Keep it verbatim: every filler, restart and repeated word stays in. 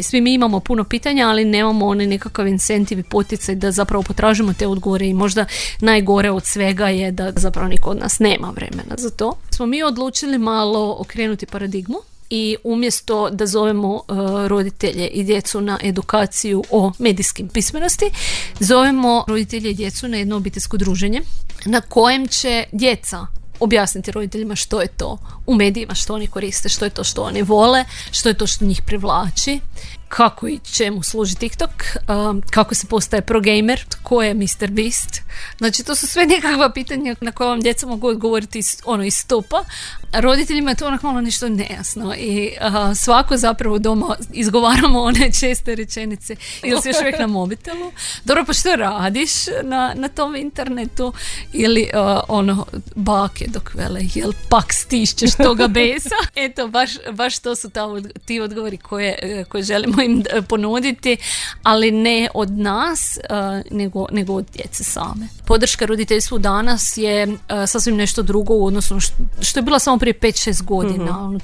Svi mi imamo puno pitanja, ali nemamo onaj nekakav incentiv i poticaj da zapravo potražimo te odgovore i možda najgore od svega je da zapravo niko od nas nema vremena za to. Smo mi odlučili malo okrenuti paradigmu i umjesto da zovemo uh, roditelje i djecu na edukaciju o medijskim pismenosti, zovemo roditelje i djecu na jedno obiteljsko druženje na kojem će djeca objasniti roditeljima što je to u medijima, što oni koriste, što je to što oni vole, što je to što njih privlači, kako i čemu služi TikTok, um, kako se postaje progamer, ko je mister Beast. Znači, to su sve nekakva pitanja na koja vam djeca mogu odgovoriti iz, ono, iz stopa. A roditeljima je to onak malo nešto nejasno i uh, svako zapravo doma izgovaramo one česte rečenice. Ili si još uvijek na mobitelu? Dobro, pa što radiš na, na tom internetu? Ili uh, ono, bake dok vele, jel pak stišćeš toga besa? Eto, baš, baš to su ta, ti odgovori koje, koje želimo im ponuditi, ali ne od nas, uh, nego, nego od djece same. Podrška roditeljstvu danas je uh, sasvim nešto drugo u odnosu što, što je bila samo prije pet šest godina. Mm-hmm.